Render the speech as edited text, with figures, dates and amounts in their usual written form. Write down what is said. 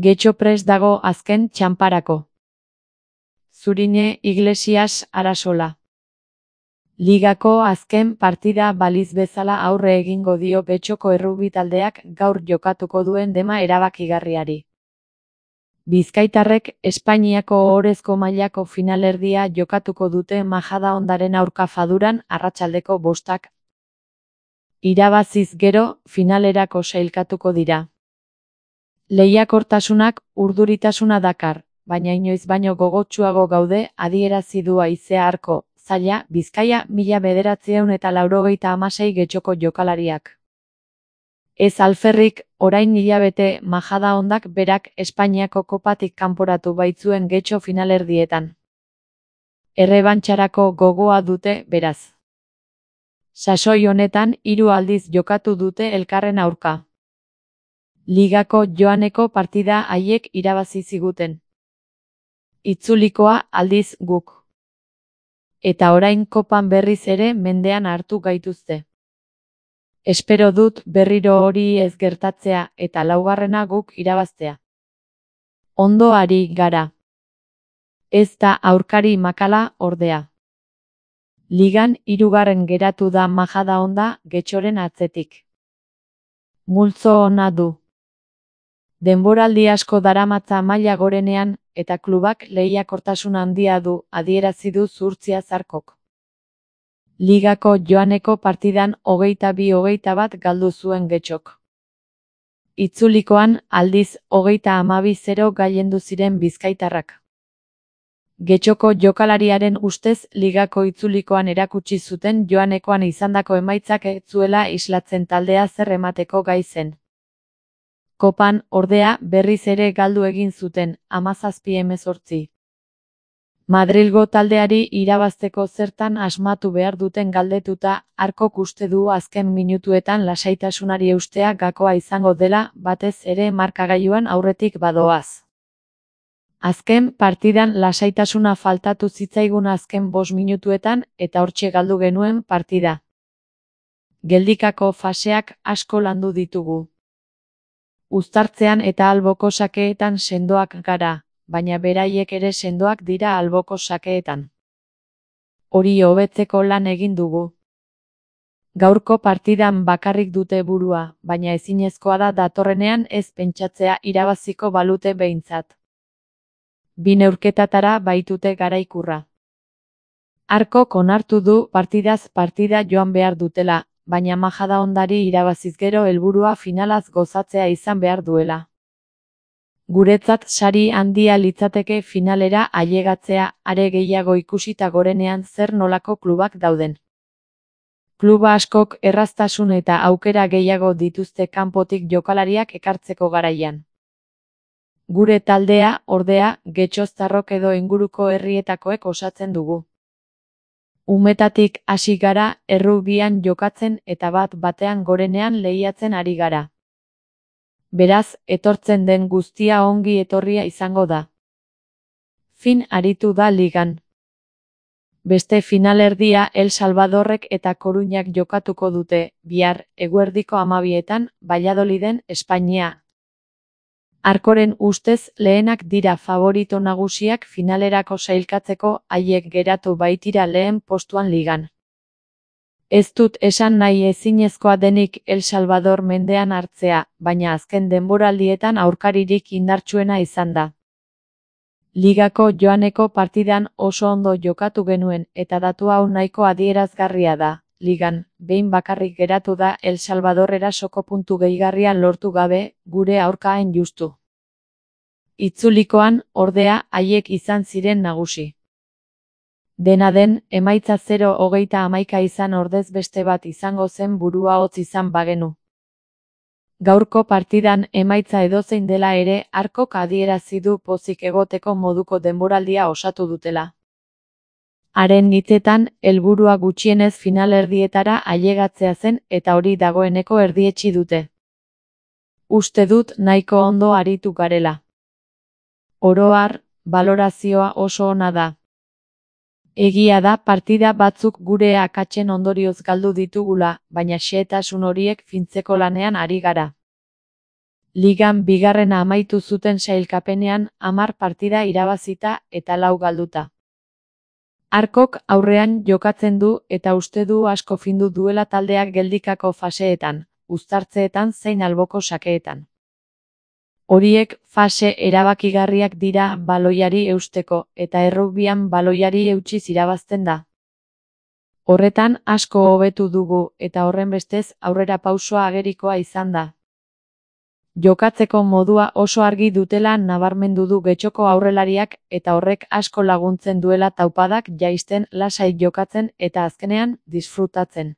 Getxo prest dago azken txanparako. Zurine Iglesias Arasola. Ligako azken partida baliz bezala aurre egingo dio Getxoko errugbi taldeak gaur jokatuko duen dema erabakigarriari. Bizkaitarrek Espainiako ohorezko mailako finalerdia jokatuko dute Majadahondaren aurka Faduran arratsaldeko 5:00. Irabaziz gero, finalerako sailkatuko dira. Lehiakortasunak urduritasuna dakar, baina inoiz baino gogotsuago gaude, adierazi du Haizea Arko, Zaila, Bizkaia 1996 Getxoko jokalariak. Ez alferrik, orain hilabete Majadahondak berak Espainiako kopatik kanporatu baitzuen Getxo finalerdietan. Errebantxarako gogoa dute, beraz. Sasoi honetan 3 aldiz jokatu dute elkarren aurka. Ligako joaneko partida haiek irabazi ziguten. Itzulikoa aldiz guk. Eta orain kopan berriz ere mendean hartu gaituzte. Espero dut berriro hori ez gertatzea eta laugarrena guk irabaztea. Ondo ari gara. Ez da aurkari makala, ordea. Ligan 3. geratu da Majadahonda Getxoren atzetik. Multzo ona du. Denboraldi asko daramatza maila gorenean, eta klubak lehiakortasun handia du, adierazi du Zuhurtziaz Arkok. Ligako joaneko partidan 22-21 galdu zuen Getxok. Itzulikoan, aldiz 32-0 gailendu ziren bizkaitarrak. Getxoko jokalariaren ustez ligako itzulikoan erakutsi zuten joanekoan izandako emaitzak ez zuela islatzen taldea zer emateko gai zen. Kopan, ordea, berriz ere galdu egin zuten, 17-18. Madrilgo taldeari irabazteko zertan asmatu behar duten galdetuta, Arkok uste du azken minutuetan lasaitasunari eustea gakoa izango dela, batez ere markagailuan aurretik badoaz. Azken partidan lasaitasuna faltatu zitzaigun azken 5 minutuetan eta hortxe galdu genuen partida. Geldikako faseak asko landu ditugu. Uztartzean eta alboko sakeetan sendoak gara, baina beraiek ere sendoak dira alboko sakeetan. Hori hobetzeko lan egin dugu. Gaurko partidan bakarrik dute burua, baina ezinezkoa da datorrenean ez pentsatzea irabaziko balute behintzat. 2 neurketatara baitute garaikurra. Arkok onartu du partidaz partida joan behar dutela, baina Majadahondari irabaziz gero helburua finalaz gozatzea izan behar duela. Guretzat sari handia litzateke finalera ailegatzea, are gehiago ikusita gorenean zer nolako klubak dauden. Kluba askok erraztasun eta aukera gehiago dituzte kanpotik jokalariak ekartzeko garaian. Gure taldea, ordea, Getxoztarrok edo inguruko herrietakoek osatzen dugu. Umetatik hasi gara, errugbian jokatzen eta bat-batean gorenean lehiatzen ari gara. Beraz, etortzen den guztia ongi etorria izango da. Fin aritu da ligan. Beste finalerdia El Salvadorrek eta Koruñak jokatuko dute, bihar, eguerdiko 12etan, Valladoliden, Espainia. Arkoren ustez lehenak dira favorito nagusiak finalerako sailkatzeko, haiek geratu baitira lehen postuan ligan. Ez dut esan nahi ezinezkoa denik El Salvador mendean hartzea, baina azken denboraldietan aurkaririk indartsuena izan da. Ligako joaneko partidan oso ondo jokatu genuen eta datu hau nahiko adierazgarria da. Ligan, behin bakarrik geratu da El Salvador erasoko puntu gehigarria lortu gabe, gure aurkaen justu. Itzulikoan, ordea, haiek izan ziren nagusi. Dena den, emaitza 0-11 izan ordez beste bat izango zen burua hotz izan bagenu. Gaurko partidan emaitza edozein dela ere, Arkok adierazi du pozik egoteko moduko denboraldia osatu dutela. Haren hitzetan, helburua gutxienez finalerdietara ailegatzea zen eta hori dagoeneko erdietsi dute. Uste dut nahiko ondo aritu garela. Oro har, balorazioa oso ona da. Egia da partida batzuk gure akatsen ondorioz galdu ditugula, baina xehetasun horiek fintzeko lanean ari gara. Ligan bigarrena amaitu zuten sailkapenean 10 partida irabazita eta 4 galduta. Arkok aurrean jokatzen du eta uste du asko findu duela taldeak geldikako faseetan, uztartzeetan zein alboko sakeetan. Horiek fase erabakigarriak dira baloiari eusteko eta errugbian baloiari eutsiz irabazten da. Horretan asko hobetu dugu eta horrenbestez aurrerapausoa agerikoa izan da. Jokatzeko modua oso argi dutela nabarmendu du Getxoko aurrelariak eta horrek asko laguntzen duela taupadak jaisten lasai jokatzen eta azkenean disfrutatzen.